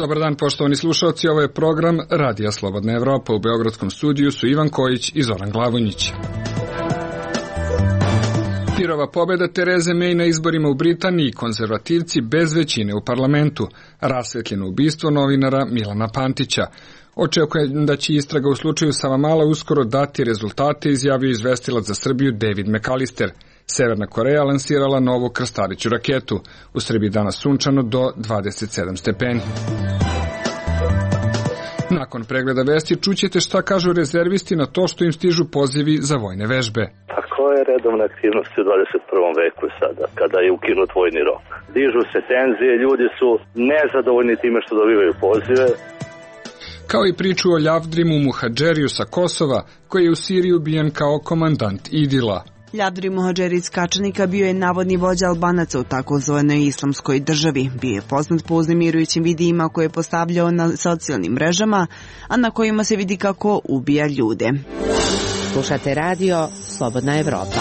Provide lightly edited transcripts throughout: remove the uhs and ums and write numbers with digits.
Dobar dan, poštovani slušalci, ovo je program Radija Slobodna Evropa. U beogradskom studiju su Ivan Kojić i Zoran Glavonjić. Pirova pobeda Tereze May na izborima u Britaniji, konzervativci bez većine u parlamentu, rasvetljeno ubistvo novinara Milana Pantića. Očekujem da će istraga u slučaju Savamala uskoro dati rezultate, izjavio izvestilac za Srbiju David McAllister. Severna Koreja lansirala novu krstareću raketu. U Srbiji danas sunčano do 27 stepeni. Nakon pregleda vesti čućete šta kažu rezervisti na to što im stižu pozivi za vojne vežbe. A koja je redovna aktivnost u 21. veku sada, kada je ukinut vojni rok? Dižu se tenzije, ljudi su nezadovoljni time što dobivaju pozive. Kao i priču o Ljavdrimu Muhadžeriju sa Kosova, koji je u Siriji ubijen kao komandant Idila. Ljavdrim Muhadžeri iz Kačanika bio je navodni vođa Albanaca u takozvanoj islamskoj državi. Bio je poznat po uznemirujućim videima koje je postavljao na socijalnim mrežama, a na kojima se vidi kako ubija ljude. Slušate radio Slobodna Evropa.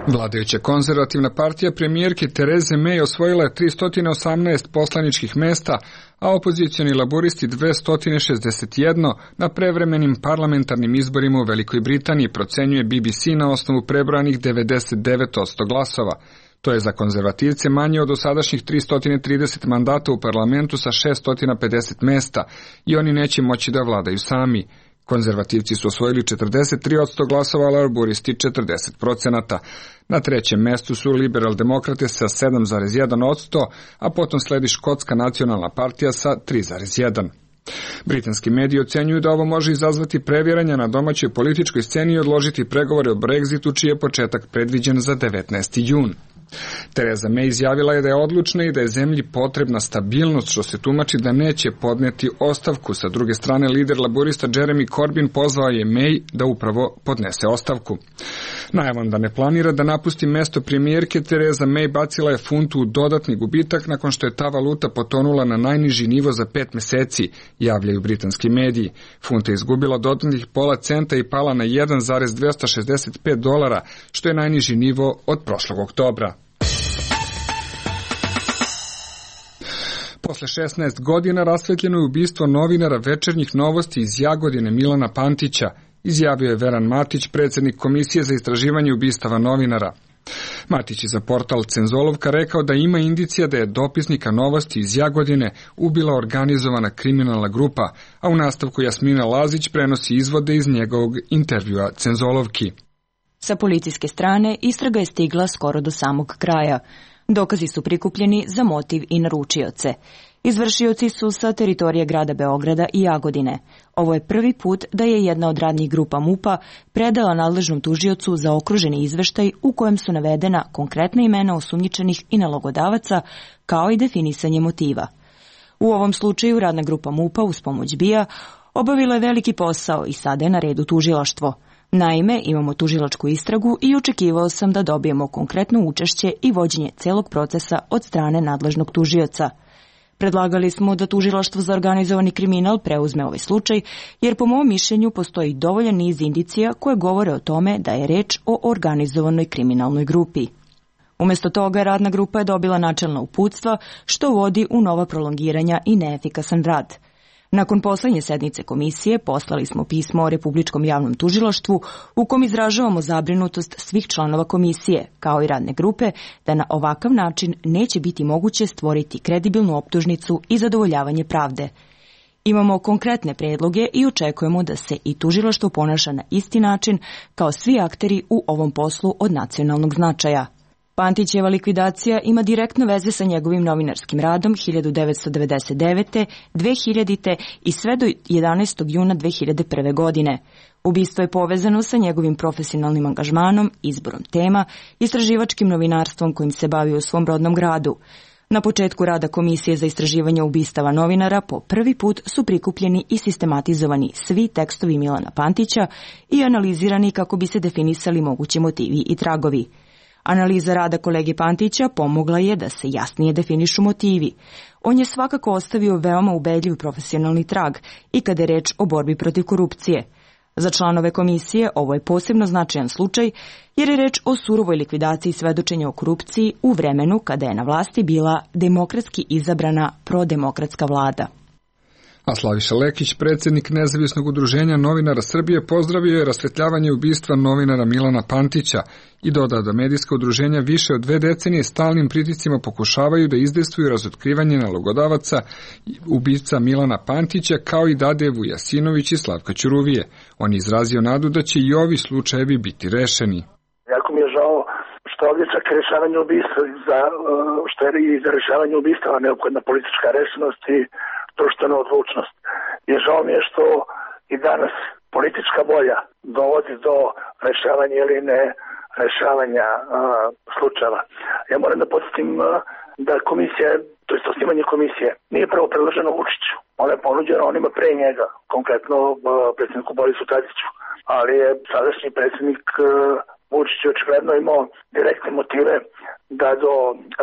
Vladajuća konzervativna partija premijerke Tereze May osvojila je 318 poslaničkih mesta, a opozicioni laburisti 261 na prevremenim parlamentarnim izborima u Velikoj Britaniji, procenjuje BBC na osnovu prebrojanih 99% glasova. To je za konzervativce manje od dosadašnjih 330 mandata u parlamentu sa 650 mesta i oni neće moći da vladaju sami. Konzervativci su osvojili 43% glasova, a laburisti 40%. Na trećem mestu su liberal-demokrate sa 7,1%, a potom sledi Škotska nacionalna partija sa 3,1%. Britanski mediji ocenjuju da ovo može izazvati previranja na domaćoj političkoj sceni i odložiti pregovore o Brexitu, čiji je početak predviđen za 19. jun. Tereza May izjavila je da je odlučna i da je zemlji potrebna stabilnost, što se tumači da neće podneti ostavku. Sa druge strane, lider laburista Jeremy Corbyn pozvao je May da upravo podnese ostavku. Najavom da ne planira da napusti mesto premijerke, Tereza May bacila je funtu u dodatni gubitak nakon što je ta valuta potonula na najniži nivo za 5 meseci, javljaju britanski mediji. Funta je izgubila dodatnih pola centa i pala na $1,265, što je najniži nivo od prošlog oktobra. Posle 16 godina rasvetljeno je ubistvo novinara Večernjih novosti iz Jagodine Milana Pantića, izjavio je Veran Matić, predsjednik Komisije za istraživanje ubistava novinara. Matić je za portal Cenzolovka rekao da ima indicija da je dopisnika novosti iz Jagodine ubila organizovana kriminalna grupa, a u nastavku Jasmina Lazić prenosi izvode iz njegovog intervjua Cenzolovki. Sa policijske strane istraga je stigla skoro do samog kraja. Dokazi su prikupljeni za motiv i naručioce. Izvršioci su sa teritorije grada Beograda i Jagodine. Ovo je prvi put da je jedna od radnih grupa MUP-a predala nadležnom tužiocu za okruženi izveštaj u kojem su navedena konkretna imena osumnjičenih i nalogodavaca, kao i definisanje motiva. U ovom slučaju radna grupa MUP-a uz pomoć BIA obavila je veliki posao i sada je na redu tužilaštvo. Naime, imamo tužilačku istragu i očekivao sam da dobijemo konkretno učešće i vođenje celog procesa od strane nadležnog tužioca. Predlagali smo da tužilaštvo za organizovani kriminal preuzme ovaj slučaj, jer po mom mišljenju postoji dovoljan niz indicija koje govore o tome da je reč o organizovanoj kriminalnoj grupi. Umesto toga, radna grupa je dobila načelna uputstva, što vodi u nova prolongiranja i neefikasan rad. Nakon poslednje sednice komisije poslali smo pismo o Republičkom javnom tužilaštvu u kom izražavamo zabrinutost svih članova komisije, kao i radne grupe, da na ovakav način neće biti moguće stvoriti kredibilnu optužnicu i zadovoljavanje pravde. Imamo konkretne predloge i očekujemo da se i tužilaštvo ponaša na isti način kao svi akteri u ovom poslu od nacionalnog značaja. Pantićeva likvidacija ima direktno veze sa njegovim novinarskim radom 1999. 2000. i sve do 11. juna 2001. godine. Ubistvo je povezano sa njegovim profesionalnim angažmanom, izborom tema, istraživačkim novinarstvom kojim se bavio u svom rodnom gradu. Na početku rada Komisije za istraživanje ubistava novinara po prvi put su prikupljeni i sistematizovani svi tekstovi Milana Pantića i analizirani kako bi se definisali mogući motivi i tragovi. Analiza rada kolege Pantića pomogla je da se jasnije definišu motivi. On je svakako ostavio veoma ubedljiv profesionalni trag i kada je reč o borbi protiv korupcije. Za članove komisije ovo je posebno značajan slučaj jer je reč o surovoj likvidaciji svedočenja o korupciji u vremenu kada je na vlasti bila demokratski izabrana prodemokratska vlada. A Slaviša Lekić, predsjednik Nezavisnog udruženja novinara Srbije, pozdravio je rasvetljavanje ubistva novinara Milana Pantića i dodao da medijska udruženja više od 2 decenije stalnim pritiscima pokušavaju da izdejstvuju razotkrivanje nalogodavaca ubica Milana Pantića, kao i Dade Vujasinović i Slavka Ćuruvije. On je izrazio nadu da će i ovi slučajevi biti rešeni. Jako mi je žao što ovdje čak rešavanje ubistva, što je i za rešavanje ubistva neophodna politička rešenost i društvena odlučnost. I žao mi je što i danas politička volja dovodi do rešavanja ili ne rešavanja slučajeva. Ja moram da podsjetim da komisija, to je osnivanje komisije, nije prvo predloženo Vučiću. Ona je ponuđena onima pre njega, konkretno predsjedniku Borisu Tadiću. Ali je sadašnji predsjednik Vučić očigledno imao direktne motive da do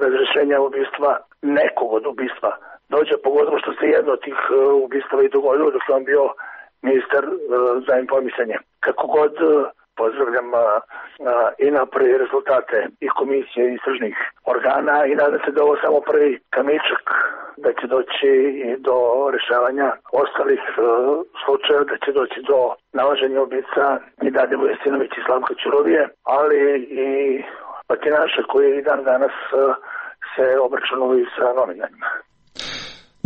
razrešenja ubistva, nekog od ubistva, dođe, pogotovo što se jedno od tih ubistava i dogodilo dok je on bio ministar za informisanje. Kako god pozdravljam i napore i rezultate i komisije i istražnih organa i nadam se da ovo samo prvi kamičak, da će doći i do rešavanja ostalih slučajeva, da će doći do nalaženja ubica i Dade Vujasinović i Slavka Ćuruvije, ali i batinaša koji i dan danas se obračunaju sa novinarima.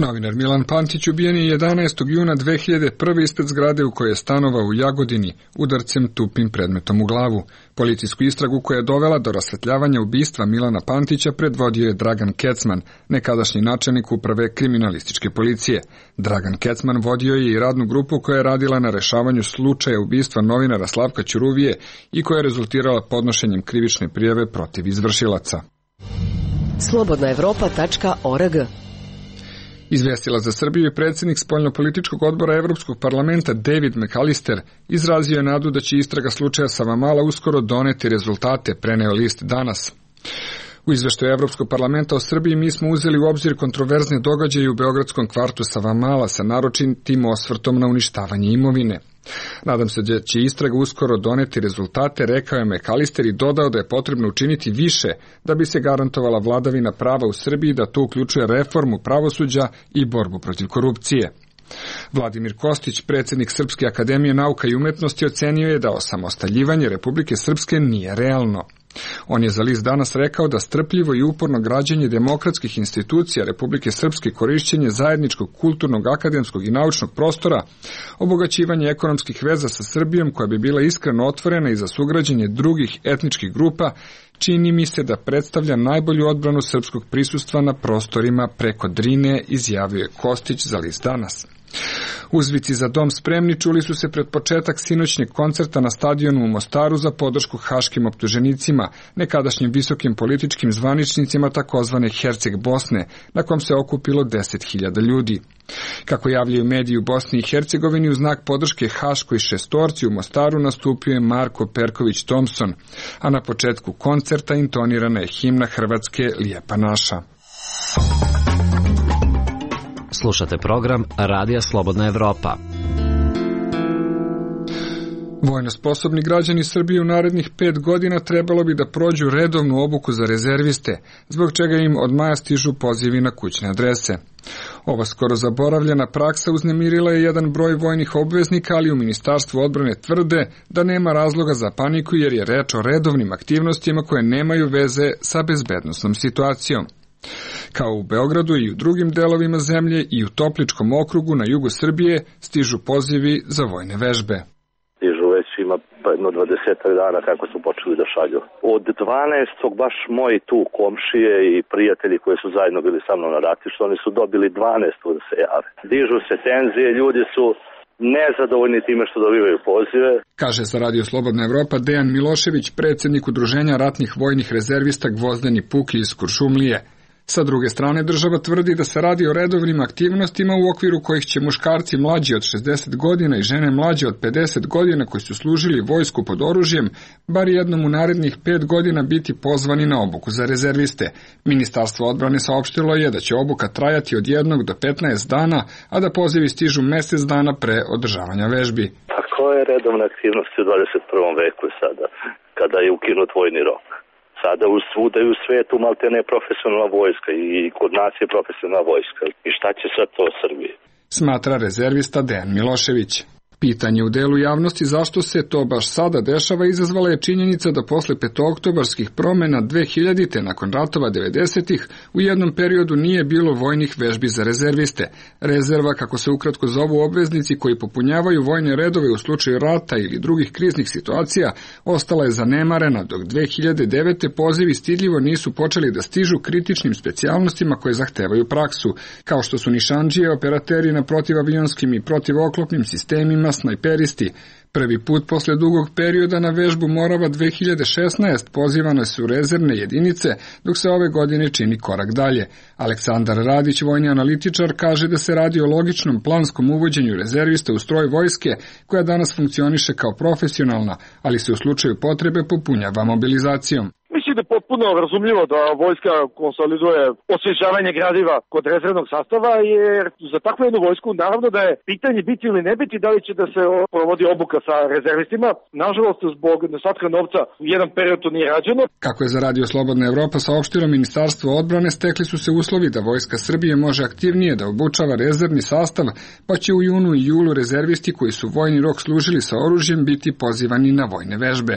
Novinar Milan Pantić ubijen je 11. juna 2001. ispred zgrade u kojoj je stanovao u Jagodini udarcem tupim predmetom u glavu. Policijsku istragu koja je dovela do rasvetljavanja ubistva Milana Pantića predvodio je Dragan Kecman, nekadašnji načelnik uprave kriminalističke policije. Dragan Kecman vodio je i radnu grupu koja je radila na rešavanju slučaja ubistva novinara Slavka Ćuruvije i koja je rezultirala podnošenjem krivične prijave protiv izvršilaca. Slobodnaevropa.org. Izvestila za Srbiju i predsjednik spoljnopolitičkog odbora Evropskog parlamenta David McAllister izrazio je nadu da će istraga slučaja Savamala uskoro doneti rezultate, preneo list Danas. U izveštaju Evropskog parlamenta o Srbiji mi smo uzeli u obzir kontroverzne događaje u beogradskom kvartu Savamala sa naročitim osvrtom na uništavanje imovine. Nadam se da će istraga uskoro doneti rezultate, rekao je McAllister i dodao da je potrebno učiniti više da bi se garantovala vladavina prava u Srbiji, da to uključuje reformu pravosuđa i borbu protiv korupcije. Vladimir Kostić, predsjednik Srpske akademije nauka i umetnosti, ocenio je da osamostaljivanje Republike Srpske nije realno. On je za list Danas rekao da strpljivo i uporno građenje demokratskih institucija Republike Srpske, korišćenje zajedničkog kulturnog, akademskog i naučnog prostora, obogaćivanje ekonomskih veza sa Srbijom koja bi bila iskreno otvorena i za sugrađenje drugih etničkih grupa, čini mi se da predstavlja najbolju odbranu srpskog prisustva na prostorima preko Drine, izjavio je Kostić za list Danas. Uzvici za dom spremni čuli su se pred početak sinoćnjeg koncerta na stadionu u Mostaru za podršku haškim optuženicima, nekadašnjim visokim političkim zvaničnicima takozvane Herceg Bosne, na kom se okupilo 10.000 ljudi. Kako javljaju mediji u Bosni i Hercegovini, u znak podrške haškoj šestorci u Mostaru nastupio je Marko Perković Thompson, a na početku koncerta intonirana je himna Hrvatske Lijepa naša. Slušate program Radija Slobodna Evropa. Vojno sposobni građani Srbije u narednih 5 godina trebalo bi da prođu redovnu obuku za rezerviste, zbog čega im od maja stižu pozivi na kućne adrese. Ova skoro zaboravljena praksa uznemirila je jedan broj vojnih obveznika, ali u Ministarstvu odbrane tvrde da nema razloga za paniku jer je reč o redovnim aktivnostima koje nemaju veze sa bezbednosnom situacijom. Kao u Beogradu i u drugim delovima zemlje i u Topličkom okrugu na jugu Srbije stižu pozivi za vojne vežbe. Stižu već ima jedno 20 dana kako su počeli da šalju. Od 12. baš moji tu komšije i prijatelji koji su zajedno bili sa mnom na ratištu, oni su dobili 12. da se jave. Dižu se tenzije, ljudi su nezadovoljni time što dobivaju pozive. Kaže za Radio Slobodna Evropa Dejan Milošević, predsjednik Udruženja ratnih vojnih rezervista Gvozdeni Puki iz Kuršumlije. Sa druge strane, država tvrdi da se radi o redovnim aktivnostima u okviru kojih će muškarci mlađi od 60 godina i žene mlađe od 50 godina koji su služili vojsku pod oružjem, bar jednom u narednih 5 godina biti pozvani na obuku za rezerviste. Ministarstvo odbrane saopštilo je da će obuka trajati od 1 do 15 dana, a da pozivi stižu mjesec dana pre održavanja vežbi. Tako To je redovna aktivnost u 21. veku sada, kada je ukinut vojni rok. Sada svuda u svetu maltene profesionalna vojska i kod nas je profesionalna vojska. I šta će sad to Srbiji? Smatra rezervista Dejan Milošević. Pitanje u delu javnosti zašto se to baš sada dešava izazvala je činjenica da posle petooktobarskih promena 2000-te nakon ratova 90-ih u jednom periodu nije bilo vojnih vežbi za rezerviste. Rezerva, kako se ukratko zovu obveznici koji popunjavaju vojne redove u slučaju rata ili drugih kriznih situacija, ostala je zanemarena, dok 2009. pozivi stidljivo nisu počeli da stižu kritičnim specijalnostima koje zahtevaju praksu, kao što su nišandžije, operateri na protivavijonskim i protivoklopnim sistemima, snajperisti. Prvi put posle dugog perioda na vežbu Morava 2016 pozivane su rezervne jedinice, dok se ove godine čini korak dalje. Aleksandar Radić, vojni analitičar, kaže da se radi o logičnom planskom uvođenju rezervista u stroj vojske, koja danas funkcioniše kao profesionalna, ali se u slučaju potrebe popunjava mobilizacijom. Mislim da je potpuno razumljivo da vojska konsoliduje osvježavanje gradiva kod rezervnog sastava, jer za takvu jednu vojsku naravno da je pitanje biti ili ne biti, da li će da se provodi obuka sa rezervistima. Nažalost, zbog nedostatka novca u jedan period to nije rađeno. Kako je za Radio Slobodna Evropa saopštilo Ministarstvo odbrane, stekli su se uslovi da Vojska Srbije može aktivnije da obučava rezervni sastav, pa će u junu i julu rezervisti koji su vojni rok služili sa oružjem biti pozivani na vojne vežbe.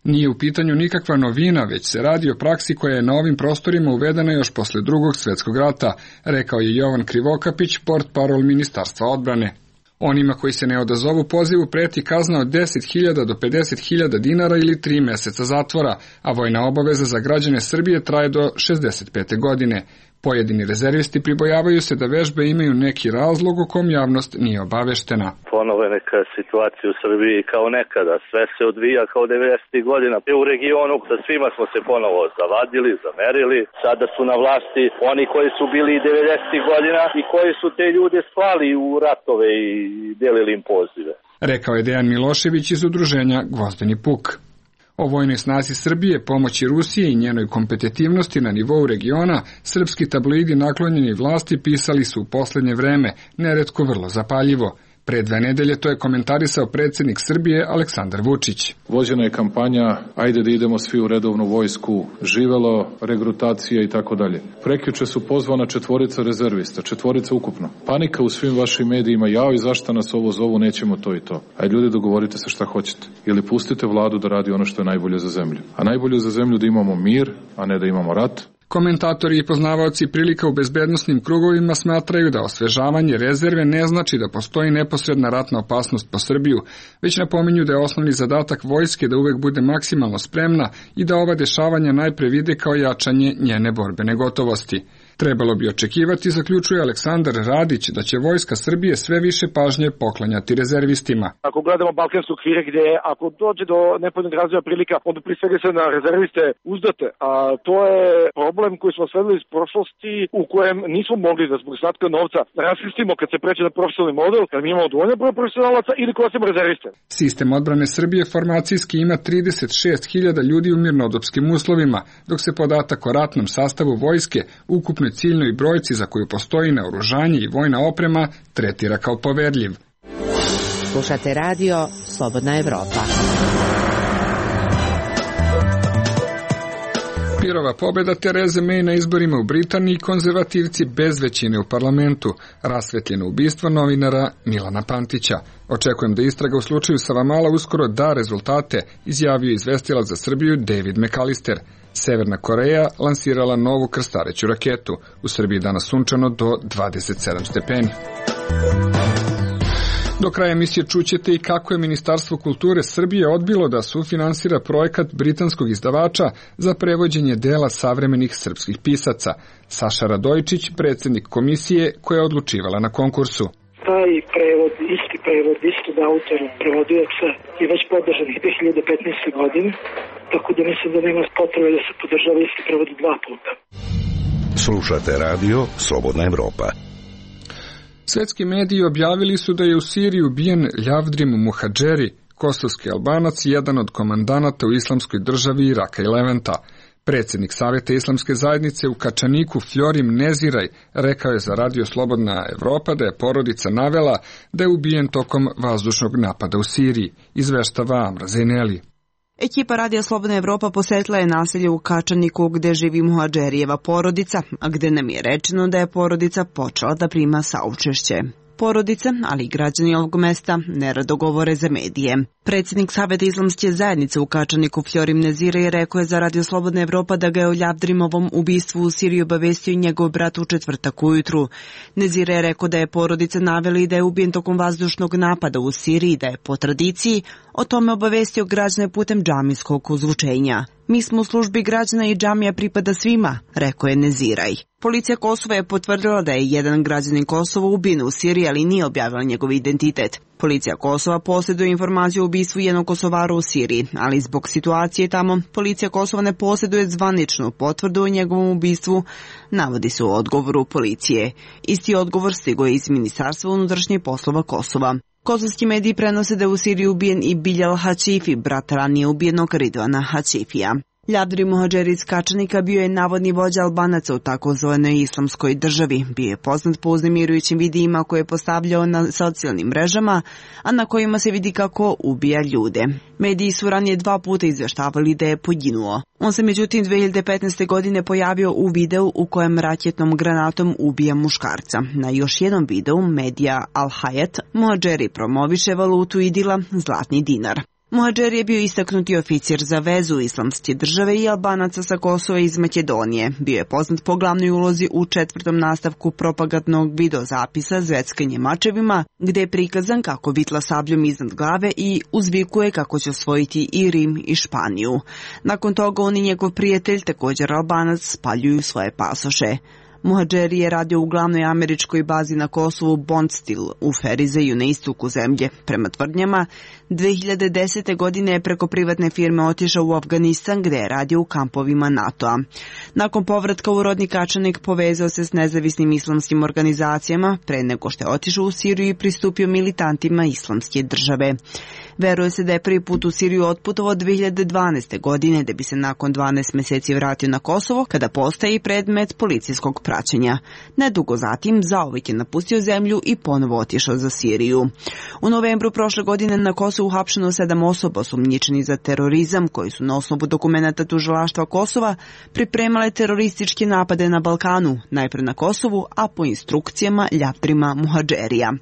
Nije u pitanju nikakva novina, već se radi o praksi koja je na ovim prostorima uvedena još posle Drugog svjetskog rata, rekao je Jovan Krivokapić, portparol Ministarstva odbrane. Onima koji se ne odazovu pozivu preti kazna od 10.000 do 50.000 dinara ili 3 meseca zatvora, a vojna obaveza za građane Srbije traje do 65. godine. Pojedini rezervisti pribojavaju se da vežbe imaju neki razlog o kom javnost nije obaveštena. Ponovo je neka situacija u Srbiji kao nekada. Sve se odvija kao 90. godina. U regionu sa svima smo se ponovo zavadili, zamerili. Sada su na vlasti oni koji su bili 90. godina i koji su te ljude slali u ratove i delili im pozive. Rekao je Dejan Milošević iz udruženja Gvozdeni puk. O vojnoj snazi Srbije, pomoći Rusije i njenoj kompetitivnosti na nivou regiona, srpski tabloidi naklonjeni vlasti pisali su u poslednje vreme, neretko vrlo zapaljivo. Pre 2 nedelje to je komentarisao predsjednik Srbije Aleksandar Vučić. Vođena je kampanja, ajde da idemo svi u redovnu vojsku, živelo, regrutacija i tako dalje. Prekjuče su pozvana 4 rezervista, 4 ukupno. Panika u svim vašim medijima, jao i zašto nas ovo zovu, nećemo to i to. Ajde ljudi, dogovorite se šta hoćete. Ili pustite vladu da radi ono što je najbolje za zemlju. A najbolje za zemlju da imamo mir, a ne da imamo rat. Komentatori i poznavaoci prilika u bezbednosnim krugovima smatraju da osvežavanje rezerve ne znači da postoji neposredna ratna opasnost po Srbiju, već napominju da je osnovni zadatak vojske da uvek bude maksimalno spremna i da ova dešavanja najpre vide kao jačanje njene borbene gotovosti. Trebalo bi očekivati, zaključuje Aleksandar Radić, da će Vojska Srbije sve više pažnje poklanjati rezervistima. Ako gledamo balkanske okvire gdje ako dođe do nepovoljnog razvoja prilika, onda prije svega se na rezerviste uzdate, a to je problem koji smo sledili iz prošlosti u kojem nismo mogli da zbog nedostatka novca raskrstimo kad se pređe na profesionalni model, kad mi imamo dovoljno broj profesionalaca ili koristimo rezerviste. Sistem odbrane Srbije formacijski ima 36.000 ljudi u mirnodopskim uslovima, dok se podatak o ratnom sastavu vojske, ukupno ciljnoj brojci za koju postoji naoružanje i vojna oprema, tretira kao poverljiv. Slušate radio Slobodna Evropa. Pirova pobjeda Tereze May na izborima u Britaniji, konzervativci bez većine u parlamentu, rasvetljeno ubistvo novinara Milana Pantića. Očekujem da istraga u slučaju Savamala uskoro da rezultate, izjavio izvestilac za Srbiju David McAllister. Severna Koreja lansirala novu krstareću raketu. U Srbiji danas sunčano do 27 stepeni. Do kraja emisije čućete i kako je Ministarstvo kulture Srbije odbilo da sufinansira projekat britanskog izdavača za prevođenje dela savremenih srpskih pisaca. Saša Radojčić, predsjednik komisije koja je odlučivala na konkursu. Taj prevod, isti prevod, istog autora, prevodioca je već podržan 2015. godine, tako da mislim da nema potrebe da se podržava isti prevod 2 puta. Slušate radio Slobodna Evropa. Svetski mediji objavili su da je u Siriji ubijen Ljavdrim Muhadžeri, kosovski Albanac i jedan od komandanata u islamskoj državi Iraka i Levanta. Predsjednik Saveta Islamske zajednice u Kačaniku Fljorim Neziraj rekao je za Radio Slobodna Evropa da je porodica navela da je ubijen tokom vazdušnog napada u Siriji, izveštava Amra Zejneli. Ekipa Radio Slobodna Evropa posetila je naselje u Kačaniku gde živi Muhadžerijeva porodica, a gde nam je rečeno da je porodica počela da prima saučešće. Porodice, ali i građani ovog mesta, nerado govore za medije. Predsjednik Saveta Islamske zajednice u Kačaniku Fljorim Neziraj rekao je za Radio Slobodna Evropa da ga je o Ljavdrimovom ubistvu u Siriji obavestio njegov brat u četvrtak ujutru. Neziraj je rekao da je porodica naveli da je ubijen tokom vazdušnog napada u Siriji, da je po tradiciji o tome obavestio građane putem džamijskog uzvučenja. Mi smo u službi građana i džamija pripada svima, rekao je Neziraj. Policija Kosova je potvrdila da je jedan građanin Kosova ubijen u Siriji, ali nije objavila njegov identitet. Policija Kosova posjeduje informaciju o ubistvu jednog Kosovara u Siriji, ali zbog situacije tamo, policija Kosova ne posjeduje zvaničnu potvrdu o njegovom ubistvu, navodi se u odgovoru policije. Isti odgovor stigao je iz Ministarstva unutrašnjih poslova Kosova. Kosovski mediji prenose da je u Siriji ubijen i Biljal Hačifi, brat ranije ubijenog Ridvana Hačifija. Ljavdri Muhadžeri iz Kačanika bio je navodni vođa Albanaca u takozvanoj islamskoj državi. Bio je poznat po uznemirujućim videima koje je postavljao na socijalnim mrežama, a na kojima se vidi kako ubija ljude. Mediji su ranije 2 puta izveštavali da je poginuo. On se međutim 2015. godine pojavio u videu u kojem raketnom granatom ubija muškarca. Na još jednom videu medija Al Hayat Muhadžeri promoviše valutu idila zlatni dinar. Muhadžeri je bio istaknuti oficir za vezu Islamske države i Albanaca sa Kosova iz Makedonije. Bio je poznat po glavnoj ulozi u 4. nastavku propagandnog videozapisa Zveckanje mačevima, gde je prikazan kako vitla sabljom iznad glave i uzvikuje kako će osvojiti i Rim i Španiju. Nakon toga on i njegov prijatelj, također Albanac, spaljuju svoje pasoše. Muhadžeri je radio u glavnoj američkoj bazi na Kosovu Bondstil u Ferizeju na istoku zemlje. Prema tvrdnjama, 2010. godine je preko privatne firme otišao u Afganistan gde je radio u kampovima NATO-a. Nakon povratka u rodni Kačanik povezao se s nezavisnim islamskim organizacijama pre nego što je otišao u Siriju i pristupio militantima Islamske države. Veruje se da je prvi put u Siriju otputovao 2012. godine, da bi se nakon 12 meseci vratio na Kosovo, kada postaje i predmet policijskog praćenja. Nedugo zatim zauvek je napustio zemlju i ponovo otišao za Siriju. U novembru prošle godine na Kosovu uhapšeno 7 osoba osumnjičenih za terorizam, koji su na osnovu dokumenata tužilaštva Kosova pripremale terorističke napade na Balkanu, najpre na Kosovu, a po instrukcijama Ljavdrima Muhadžerija.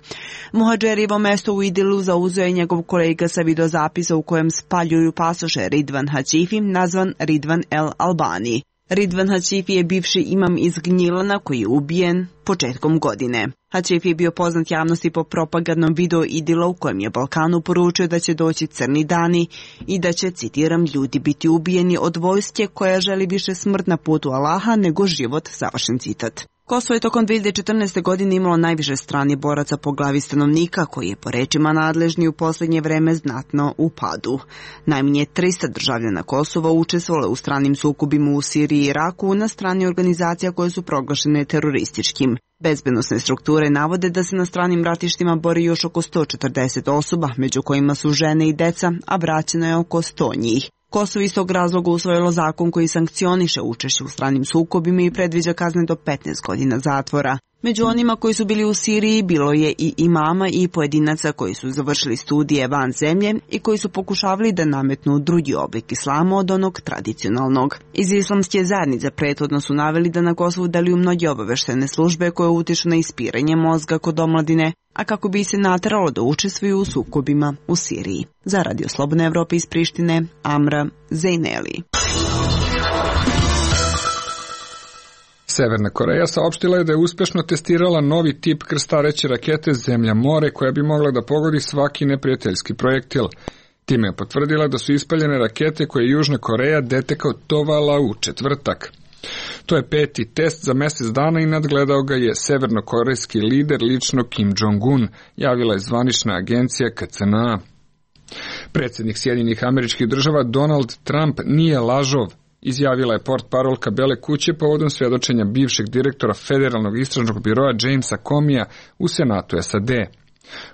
Muhadžerijevo mesto u Idilu zauzeo je njegov kolega sa videozapisa u kojem spaljuju pasoše Ridvan Hačifi, nazvan Ridvan El Albani. Ridvan Hačifi je bivši imam iz Gnjilana koji je ubijen početkom godine. Hačifi je bio poznat javnosti po propagandnom videu Idila u kojem je Balkanu poručio da će doći crni dani i da će, citiram, ljudi biti ubijeni od vojske koja želi više smrt na putu Allaha nego život, završen citat. Kosovo je tokom 2014. godine imalo najviše stranih boraca po glavi stanovnika, koji je po rečima nadležni u posljednje vreme znatno u padu. Najmanje 300 državljana Kosova učestvovalo u stranim sukobima u Siriji i Iraku na strani organizacija koje su proglašene terorističkim. Bezbednosne strukture navode da se na stranim ratištima bori još oko 140 osoba, među kojima su žene i deca, a vraćeno je oko 100 njih. Kosovo iz tog razloga usvojilo zakon koji sankcioniše učešće u stranim sukobima i predviđa kazne do 15 godina zatvora. Među onima koji su bili u Siriji bilo je i imama i pojedinaca koji su završili studije van zemlje i koji su pokušavali da nametnu drugi oblik islama od onog tradicionalnog. Iz Islamske zajednice prethodno su naveli da na Kosovu deluju mnoge obaveštene službe koje utiču na ispiranje mozga kod omladine, a kako bi se nateralo da učestvuju u sukobima u Siriji. Za Radio Slobodne Evrope iz Prištine, Amra Zejneli. Severna Koreja saopštila je da je uspešno testirala novi tip krstareće rakete Zemlja-more koja bi mogla da pogodi svaki neprijateljski projektil. Time je potvrdila da su ispaljene rakete koje je Južna Koreja detektovala u četvrtak. To je 5. test za mesec dana i nadgledao ga je severnokorejski lider lično Kim Jong-un, javila je zvanična agencija KCNA. Predsjednik Sjedinjenih Američkih Država Donald Trump nije lažov, izjavila je portparolka Bele kuće povodom svjedočenja bivšeg direktora Federalnog istražnog biroa Jamesa Comeyja u Senatu SAD.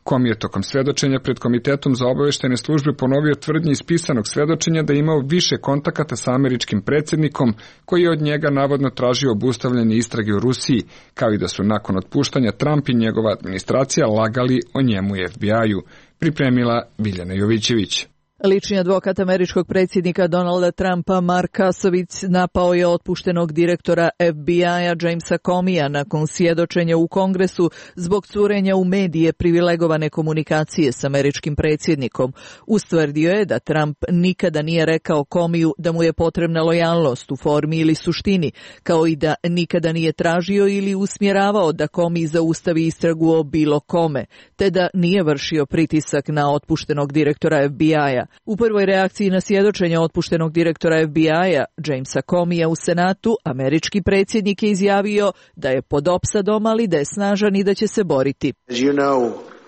Comey je tokom svedočenja pred Komitetom za obaveštajne službe ponovio tvrdnje iz pisanog svedočenja da je imao više kontakata sa američkim predsjednikom, koji je od njega navodno tražio obustavljanje istrage u Rusiji, kao i da su nakon otpuštanja Trump i njegova administracija lagali o njemu i FBI-u, pripremila Biljana Jovićević. Lični advokat američkog predsjednika Donalda Trumpa, Mark Kasovic, napao je otpuštenog direktora FBI-a Jamesa Comeya nakon svjedočenja u Kongresu zbog curenja u medije privilegovane komunikacije s američkim predsjednikom. Ustvrdio je da Trump nikada nije rekao Comeyu da mu je potrebna lojalnost u formi ili suštini, kao i da nikada nije tražio ili usmjeravao da Comey zaustavi istragu o bilo kome, te da nije vršio pritisak na otpuštenog direktora FBI-a. U prvoj reakciji na svjedočenje otpuštenog direktora FBI-a Jamesa Comeya u Senatu, američki predsjednik je izjavio da je pod opsadom, ali da je snažan i da će se boriti.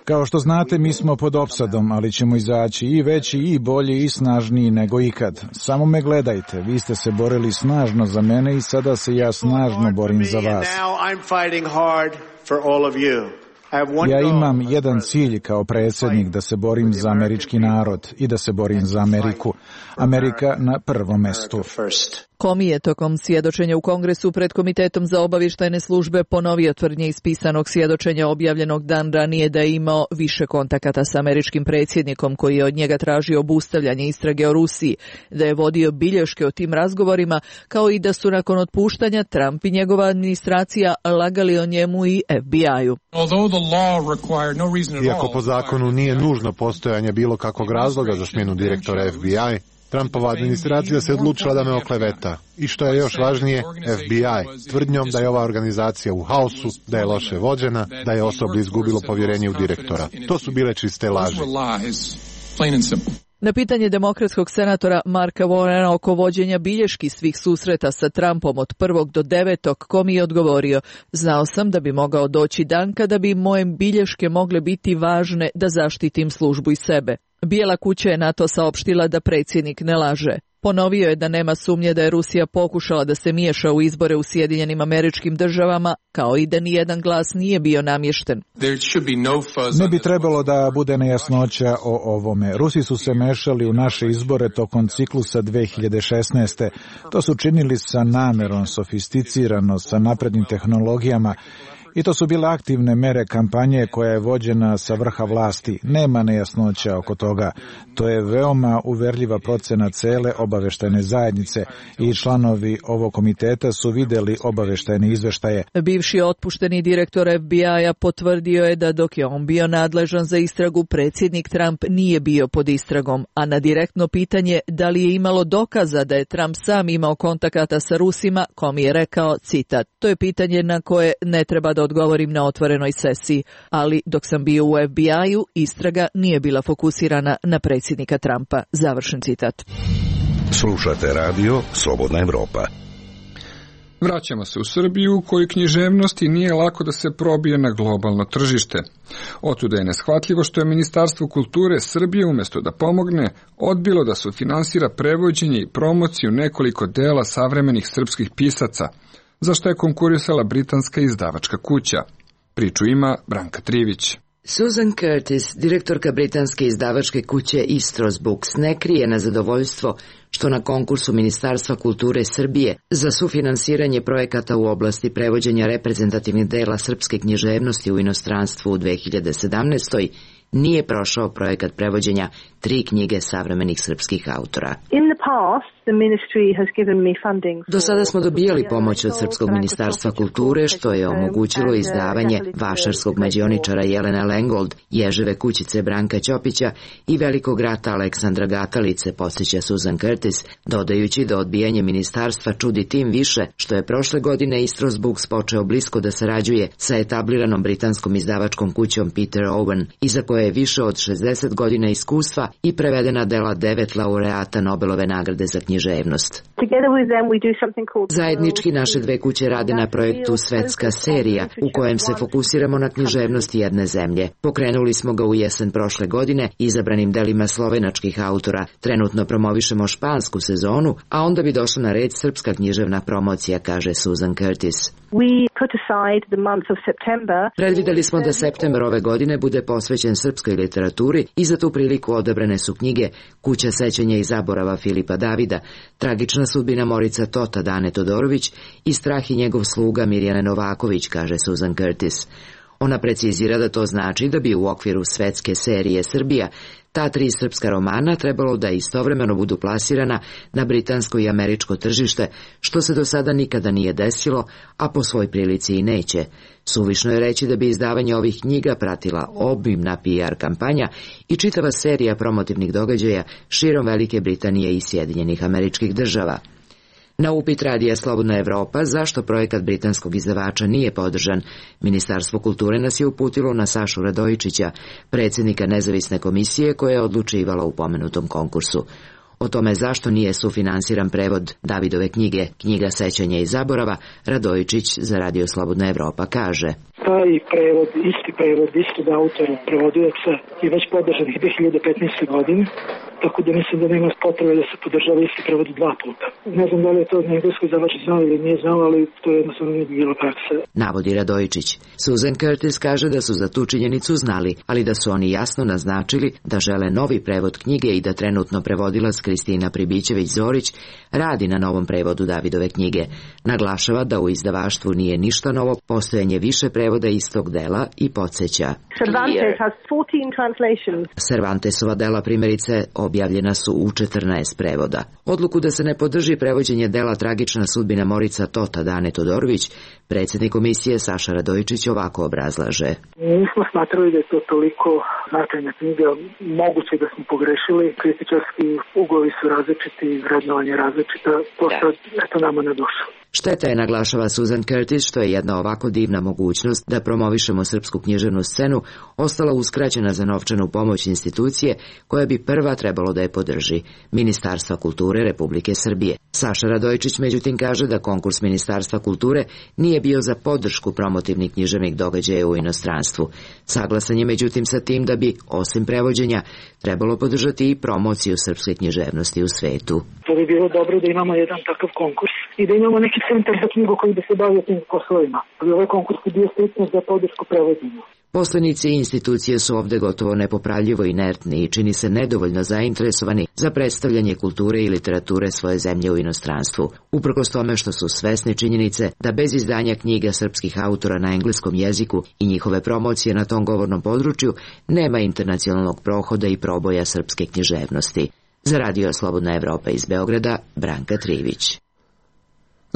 Kao što znate, mi smo pod opsadom, ali ćemo izaći i veći, i bolji, i snažniji nego ikad. Samo me gledajte, vi ste se borili snažno za mene i sada se ja snažno borim za vas. Ja imam jedan cilj kao predsjednik, da se borim za američki narod i da se borim za Ameriku. Amerika na prvom mestu. Comey je tokom svjedočenja u Kongresu pred Komitetom za obavještajne službe ponovio tvrdnje iz pisanog svjedočenja objavljenog dan ranije da je imao više kontakata s američkim predsjednikom koji je od njega tražio obustavljanje istrage o Rusiji, da je vodio bilješke o tim razgovorima, kao i da su nakon otpuštanja Trump i njegova administracija lagali o njemu i FBI-u. Iako po zakonu nije nužno postojanje bilo kakvog razloga za smjenu direktora FBI, Trumpova administracija se odlučila da me okleveta. I što je još važnije, FBI, tvrdnjom da je ova organizacija u haosu, da je loše vođena, da je osoblje izgubilo povjerenje u direktora. To su bile čiste laži. Na pitanje demokratskog senatora Marka Warrena oko vođenja bilješki svih susreta sa Trumpom od 1. do 9. Comey je odgovorio: znao sam da bi mogao doći dan kada bi moje bilješke mogle biti važne da zaštitim službu i sebe. Bijela kuća je na to saopštila da predsjednik ne laže. Ponovio je da nema sumnje da je Rusija pokušala da se miješa u izbore u Sjedinjenim Američkim Državama, kao i da nijedan glas nije bio namješten. Ne bi trebalo da bude nejasnoća o ovome. Rusi su se mešali u naše izbore tokom ciklusa 2016. To su činili sa namjerom, sofisticirano, sa naprednim tehnologijama. I to su bile aktivne mere kampanje koja je vođena sa vrha vlasti. Nema nejasnoća oko toga. To je veoma uverljiva procena cele obavještajne zajednice i članovi ovog komiteta su vidjeli obavještajne izveštaje. Bivši otpušteni direktor FBI-a potvrdio je da dok je on bio nadležan za istragu, predsjednik Trump nije bio pod istragom, a na direktno pitanje da li je imalo dokaza da je Trump sam imao kontakata sa Rusima, Comey je rekao, citat: to je pitanje na koje ne treba da odgovorim na otvorenoj sesiji, ali dok sam bio u FBI-u, istraga nije bila fokusirana na predsjednika Trumpa. Završen citat. Slušate radio Slobodna Evropa. Vraćamo se u Srbiju, u kojoj književnosti nije lako da se probije na globalno tržište. Otuda je neshvatljivo što je Ministarstvo kulture Srbije, umjesto da pomogne, odbilo da sufinansira prevođenje i promociju nekoliko dela savremenih srpskih pisaca, za što je konkurisala britanska izdavačka kuća. Priču ima Branka Trivić. Susan Curtis, direktorka britanske izdavačke kuće Istros Books, ne krije nezadovoljstvo što na konkursu Ministarstva kulture Srbije za sufinansiranje projekata u oblasti prevođenja reprezentativnih dela srpske književnosti u inostranstvu u 2017. nije prošao projekat prevođenja 3 knjige savremenih srpskih autora. Do sada smo dobijali pomoć od Srpskog ministarstva kulture, što je omogućilo izdavanje vašarskog mađioničara Jelena Lengold, Ježeve kućice Branka Ćopića i Velikog rata Aleksandra Gatalice, podsjeća Susan Curtis, dodajući da odbijanje ministarstva čudi tim više što je prošle godine Istros Books počeo blisko da sarađuje sa etabliranom britanskom izdavačkom kućom Peter Owen, iza koje je više od 60 godina iskustva i prevedena dela 9 laureata Nobelove nagrade za književnost. Zajednički naše dve kuće rade na projektu Svetska serija, u kojem se fokusiramo na književnost jedne zemlje. Pokrenuli smo ga u jesen prošle godine izabranim delima slovenačkih autora. Trenutno promovišemo špansku sezonu, a onda bi došla na red srpska književna promocija, kaže Susan Curtis. Predvideli smo da septembar ove godine bude posvećen srpskoj literaturi i za tu priliku odabrane su knjige Kuća sećanja i zaborava Filipa Davida, Tragična sudbina Morica Tota Dane Todorović i Strah i njegov sluga Mirjane Novaković, kaže Susan Curtis. Ona precizira da to znači da bi u okviru Svetske serije Srbija ta 3 srpska romana trebalo da istovremeno budu plasirana na britansko i američko tržište, što se do sada nikada nije desilo, a po svoj prilici i neće. Suvišno je reći da bi izdavanje ovih knjiga pratila obimna PR kampanja i čitava serija promotivnih događaja širom Velike Britanije i Sjedinjenih Američkih Država. Na upit Radija Slobodna Evropa zašto projekat britanskog izdavača nije podržan, Ministarstvo kulture nas je uputilo na Sašu Radojičića, predsjednika nezavisne komisije koja je odlučivala u pomenutom konkursu. O tome zašto nije sufinansiran prevod Davidove knjige Knjiga sećanja i zaborava, Radojičić za Radio Slobodna Evropa kaže: Taj prevod, isti prevod, istog autora, prevodilaca je već podržan 2015. godine, tako da mislim da nema potrebe da se podržava isti prevod 2 puta. Ne znam da li je to na engleskoj izdavač znao ili nije znao, ali to je jednostavno nije bilo praksa. Navodi Radojičić. Susan Curtis kaže da su za tu činjenicu znali, ali da su oni jasno naznačili da žele novi prevod knjige i da trenutno prevodilac Kristina Pribićević-Zorić radi na novom prevodu Davidove knjige. Naglašava da u izdavaštvu nije ništa novo, postojanje više prevoda istog dela i podsjeća. Cervantesova dela primjerice objavljena su u 14 prevoda. Odluku da se ne podrži prevođenje dela Tragična sudbina Morica Tota Dane Todorović, predsjednik komisije Saša Radojičić ovako obrazlaže. Nismo smatrali da je to toliko značajna knjiga, moguće da smo pogrešili, kritičarski uglovi su različiti, vrednovanje različita, to sad eto nama na dušu. Šteta je, naglašava Susan Curtis, što je jedna ovako divna mogućnost da promovišemo srpsku književnu scenu ostala uskraćena za novčanu pomoć institucije koja bi prva trebalo da je podrži, Ministarstva kulture Republike Srbije. Saša Radojičić međutim kaže da konkurs Ministarstva kulture nije bio za podršku promotivnih književnih događaja u inostranstvu. Saglasan je međutim sa tim da bi, osim prevođenja, trebalo podržati i promociju srpske književnosti u svetu. To bi bilo dobro da imamo jedan takav konkurs i da imamo neki centar za knjigu koji bi se bavio tim poslovima. Ovaj konkurs bi bio striktno za podršku prevođenja. Poslenici institucije su ovde gotovo nepopravljivo inertni i čini se nedovoljno zainteresovani za predstavljanje kulture i literature svoje zemlje u inostranstvu. Uprkos tome što su svesni činjenice da bez izdanja knjiga srpskih autora na engleskom jeziku i njihove promocije na tom govornom području nema internacionalnog prohoda i proboja srpske književnosti. Za Radio Slobodna Evropa iz Beograda, Branka Trivić.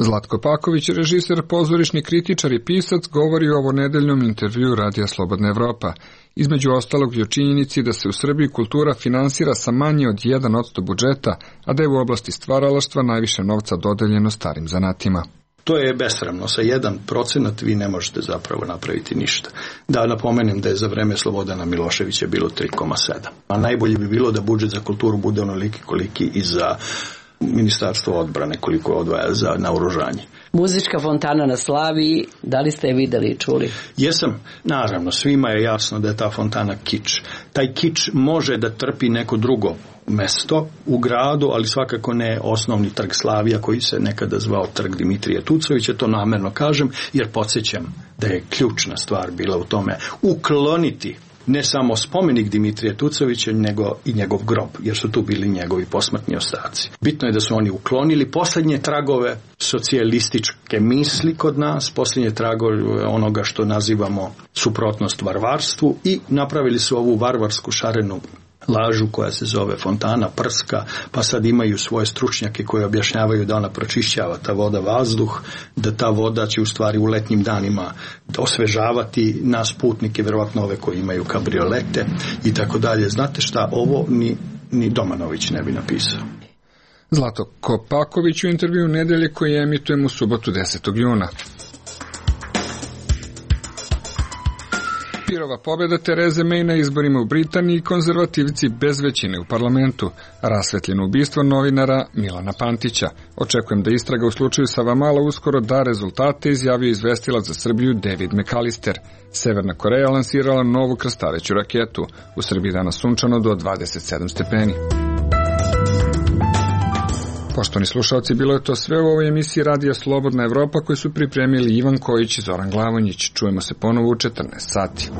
Zlatko Paković, režiser, pozorišni kritičar i pisac, govori u ovonedeljnom intervju Radija Slobodna Evropa. Između ostalog i o činjenici da se u Srbiji kultura finansira sa manje od 1% budžeta, a da je u oblasti stvaralaštva najviše novca dodeljeno starim zanatima. To je besramno. Sa 1% vi ne možete zapravo napraviti ništa. Da napomenem da je za vreme Slobodana Miloševića bilo 3,7. A najbolje bi bilo da budžet za kulturu bude onoliki koliki i za Ministarstvo odbrane, koliko odvaja za naoružanje. Muzička fontana na Slaviji, da li ste je videli i čuli? Jesam, naravno, svima je jasno da je ta fontana kič. Taj kič može da trpi neko drugo mesto u gradu, ali svakako ne osnovni trg Slavija koji se nekada zvao trg Dimitrija Tucovića, to namerno kažem, jer podsjećam da je ključna stvar bila u tome ukloniti ne samo spomenik Dimitrija Tucovića, nego i njegov grob, jer su tu bili njegovi posmrtni ostaci. Bitno je da su oni uklonili posljednje tragove socijalističke misli kod nas, posljednje tragove onoga što nazivamo suprotnost varvarstvu i napravili su ovu varvarsku šarenu lažu koja se zove fontana prska, pa sad imaju svoje stručnjake koji objašnjavaju da ona pročišćava ta voda vazduh, da ta voda će u stvari u letnjim danima osvežavati nas putnike, vjerovatno ove koji imaju kabriolete i tako dalje. Znate šta, ovo ni Domanović ne bi napisao. Zlato Kopaković u intervju Nedelje koji emitujemo u subotu 10. juna. Pirova pobjeda Tereze May na izborima u Britaniji i konzervativci bez većine u parlamentu. Rasvetljeno ubistvo novinara Milana Pantića. Očekujem da istraga u slučaju Savamala uskoro da rezultate, izjavio izvestilac za Srbiju David McAllister. Severna Koreja lansirala novu krstareću raketu. U Srbiji danas sunčano do 27 stepeni. Poštovani slušalci, bilo je to sve u ovoj emisiji Radija Slobodna Evropa koju su pripremili Ivan Kojić i Zoran Glavonjić. Čujemo se ponovo u 14 sati.